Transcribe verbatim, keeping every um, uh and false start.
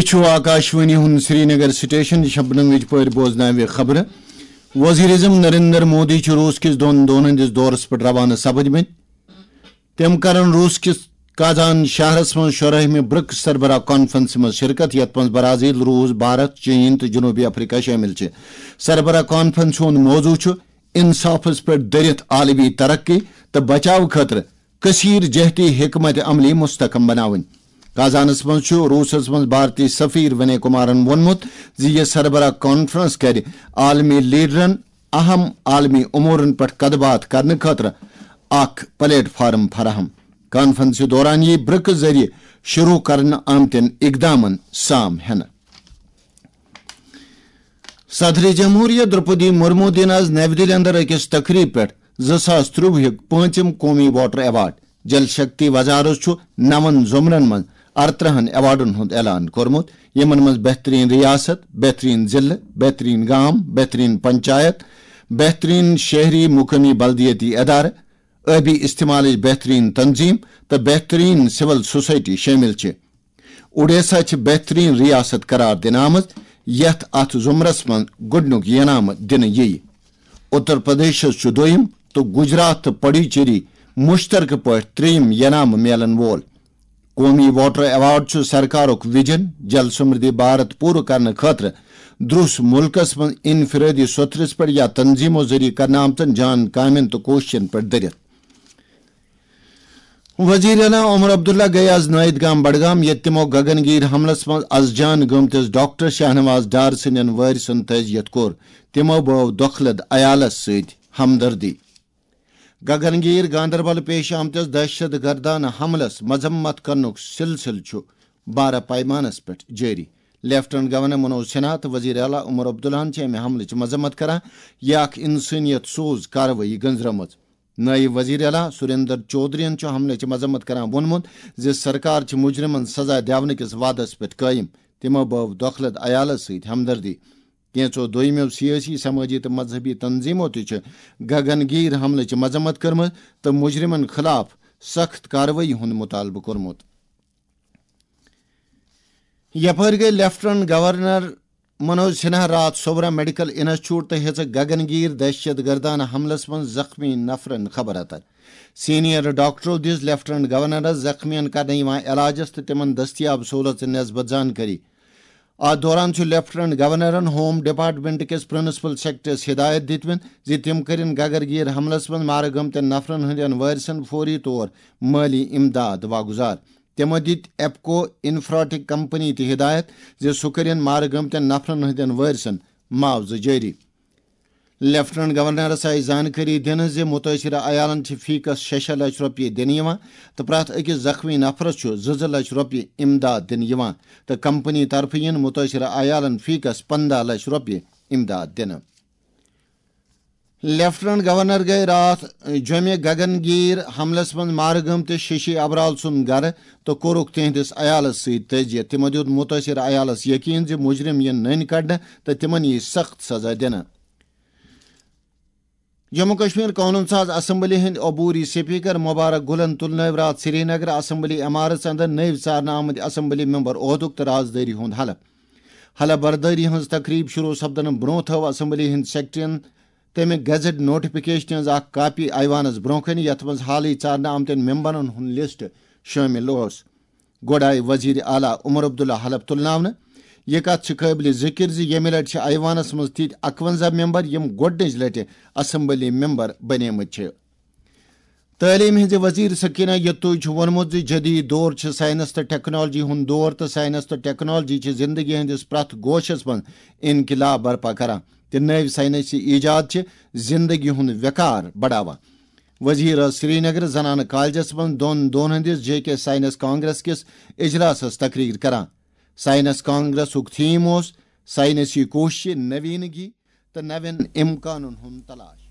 چھُ آکاشوانی ہُنٛد سرینگر سٹیشن۔ شبنمٕچ پٲٹھۍ بوزناوِ خبرٕ۔ وزیر اعظم نریندر مودی چھُ روس کِس دۄن دۄہن ہٕنٛدِس دورس پٮ۪ٹھ روانہٕ سپٕدمٕتۍ۔ تِم کرن روس کِس کازان شہرس منٛز شُراہمہِ برکس سربراہ کانفرنسہِ منٛز شرکت، یتھ منٛز برازیل، روس، بھارت، چین تہٕ جنوبی افریقہ شٲمِل چھِ۔ سربراہ کانفرنسہِ ہُنٛد موضوع چھُ انصافس پٮ۪ٹھ دٔرِتھ عالمی ترقی تہٕ بچاو خٲطرٕ کثیر جہتی حکمت عملی مستحکم بناوٕنۍ۔ کازانس منٛز چھُ روسس منٛز بھارتی سفیر ونی کمارن ووٚنمُت زِ یہِ سربراہ کانفرنس کرِ عالمی لیڈرن اہم عالمی امورن پٮ۪ٹھ کتھ باتھ کرنہٕ خٲطرٕ اکھ پلیٹ فارم فراہم۔ کانفرنسہِ دوران یِیہِ برکس ذٔریعہٕ شروع کرنہٕ آمتٮ۪ن اقدامن سام ہٮ۪نہٕ۔ صدر جمہوریہ درپدی مرمو دِن آز نَوِ دِلہِ اندر أکِس تقریب پٮ۪ٹھ زٕ ساس ترٛۆوُہُک پٲنٛژِم قومی واٹر ایوارڈ۔ جل شکتی وزارت چھُ نَوَن زمرن منٛز ارترٕہن ایوارڈن ہُنٛد اعلان کوٚرمُت، یِمن منٛز بہترین ریاست، بہترین ضلعہٕ، بہترین گام، بہترین پنچایت، بہترین شہری مقٲمی بلدیٲتی ادارٕ، ٲبی استعمالٕچ بہترین تنظیم تہٕ بہترین سول سوسائٹی شٲمِل چھِ۔ اوڈیشہ چھِ بہترین ریاست قرار دِنہٕ آمٕژ، یتھ اتھ زمرس منٛز گۄڈٕنیُک انعام دِنہٕ یِیہِ۔ اتر پردیشس چھُ دوٚیِم تہٕ گجرات تہٕ پڈوچیری مشترکہٕ پٲٹھۍ ترٛیٚیِم انعام میلن وول۔ قومی واٹر ایوارڈ چھُ سرکارُک ویژن، جل سمردھی بھارت پوٗرٕ کرنہٕ خٲطرٕ درٛوس مُلکس منٛز انفرٲدی سوٚتھرِس پٮ۪ٹھ یا تنظیمو ذٔریعہٕ کرنہٕ آمژن جان کامٮ۪ن تہٕ کوٗششن پٮ۪ٹھ دٔرِتھ۔ وزیر اعلیٰ عمر عبداللہ گٔیہِ آز نٲیِد گام بڈگام، ییٚتہِ تِمو گگن گیٖر حملس منٛز از جان گٔمتِس ڈاکٹر شاہنواز ڈار سٕنٛدٮ۪ن وٲرثن تعزیت کوٚر۔ تِمو بٲو دۄکھلد عیالس سۭتۍ ہمدردی۔ گگن گیٖر گاندربل پیش آمتِس دہشت گردانہٕ حملس مذمت کرنُک سلسلہٕ چھُ بارٕ پیمانس پٮ۪ٹھ جٲری۔ لیفٹیننٹ گورنر منوج سنہا تہٕ وزیر اعلیٰ عمر عبداللہن چھِ امہِ حملٕچ مذمت کران۔ یہِ اکھ انسٲنیت سوز کاروٲیی گٔنزرٲمٕژ۔ نٲیِب وزیر اعلیٰ سریندر چودھرین چھُ حملٕچ مذمت کران ووٚنمُت زِ سرکار چھِ مجرمن سزا دِونہٕ کِس وعدس پٮ۪ٹھ قٲیِم۔ تِمو بٲو دۄکھلد عیالس سۭتۍ ہمدردی۔ کینٛژو دوٚیمٮ۪و سیٲسی، سمٲجی تہٕ مذہبی تنظیمو تہِ چھِ گگن گیٖر حملٕچ مذمت کٔرمٕژ تہٕ مجرمن خلاف سخت کاروٲیی ہُنٛد مطالبہٕ کوٚرمُت۔ یپٲرۍ گٔے لیفٹیننٹ گورنر منوج سنہا راتھ سوبرا میڈیکل انسٹیٹیوٹ تہٕ ہیژٕکھ گگن گیٖر دہشت گردانہٕ حملس منٛز زخمی نفرن خبر اتر۔ سینئر ڈاکٹرو دِژ لیفٹیننٹ گورنرس زخمیَن کرنہٕ یِوان علاجس تہٕ تِمن دٔستیاب سہوٗلژن نسبت زانکٲری۔ اتھ دوران چھُ لیفٹیننٹ گورنرن ہوم ڈپارٹمنٹ کِس پرنسپل سیکرٹریس ہدایت دِتمٕژ زِ تِم کٔرِن گگرگیٖر حملس منٛز مارٕ گٔمتٮ۪ن نفرن ہٕنٛدٮ۪ن وٲرثن فوری طور مٲلی امداد واگُزار۔ تِمو دِتۍ ایپکو انفراٹیک کمپنی تہِ ہدایت زِ سُہ کٔرِن مارٕ گٔمتٮ۪ن نفرن ہٕنٛدٮ۪ن وٲرثن معاوضہٕ جٲری۔ لیفٹیننٹ گورنرس آیہِ زانکٲری دِنہٕ زِ مُتٲثرٕ عیالن چھِ فی کس شےٚ شےٚ لچھ رۄپیہِ دِنہٕ یِوان تہٕ پرٛٮ۪تھ أکِس زخمی نفرس چھُ زٕ زٕ لچھ رۄپیہِ امداد دِنہٕ یِوان تہٕ کمپنی طرفہٕ یِن مُتٲثرٕ عیالن فی کس پنٛداہ لچھ رۄپیہِ امداد دِنہٕ۔ لیفٹیننٹ گورنر گٔے راتھ جوٚمہِ گگن گیٖر حملس منٛز مارٕ گٔمتِس ششی ابرال سُنٛد گرٕ تہٕ کوٚرُکھ تِہنٛدِس عیالس سۭتۍ تعزیت۔ تِمو دیُت مُتٲثر عیالس یقین زِ مُجرم یِن نٔنۍ کڑنہٕ تہٕ تِمن یِیہِ سخت سزا دِنہٕ۔ جموں کشمیر قونوٗن ساز اسمبلی ہٕنٛدۍ عبوری سپیکر مبارک گلن تُلنٲوۍ راتھ سرینگر اسمبلی عمارژ اندر نٔوۍ ژارنہٕ آمٕتۍ اسمبلی ممبر عہدُک تہٕ رازدٲری ہُنٛد حلف۔ حلف بردٲری ہٕنٛز تقریب شروع سپدنہٕ برونٛہہ تھٲو اسمبلی ہٕنٛدۍ سیکرٹریَن تَمہِ گزٹ نوٹیفکیشنہِ ہٕنٛز اکھ کاپی ایوانس برونٛہہ کنہِ، یتھ منٛز حالٕے ژارنہٕ آمتٮ۪ن ممبرن ہُنٛد لسٹ شٲمِل اوس۔ گۄڈٕ آیہِ وزیر اعلیٰ عمر عبداللہ حلف تُلناونہٕ۔ یہِ کتھ چھِ قٲبلِ ذِکر زِ ییٚمہِ لٹہِ چھِ ایوانس منٛز تِتھۍ اَکوَنزاہ ممبر، یِم گۄڈٕنِچ لٹہِ اسمبلی ممبر بنیمٕتۍ چھِ۔ تعلیٖم ہٕنٛزِ وزیر سکینہ یتوٗج چھُ ووٚنمُت زِ جدید دور چھُ سائنس تہٕ ٹیکنالوجی ہُنٛد دور تہٕ سائنس تہٕ ٹیکنالوجی چھِ زندگی ہٕنٛدِس پرٛٮ۪تھ گوشس منٛز انقلاب برپا کران تہٕ نٔوۍ سائنسی ایجاد چھِ زندگی ہُنٛد وقار بڑاوان۔ وزیر ٲس سرینگر زنانہٕ کالجس منٛز دۄن دۄہن ہٕنٛدِس جے کے سائنس کانگریس کِس اجلاسس تقریر کران۔ سائنس کانگریسُک تھیم اوس سائنسی کوششہِ، نوینگی تہٕ نوین امکانن ہُنٛد تلاش۔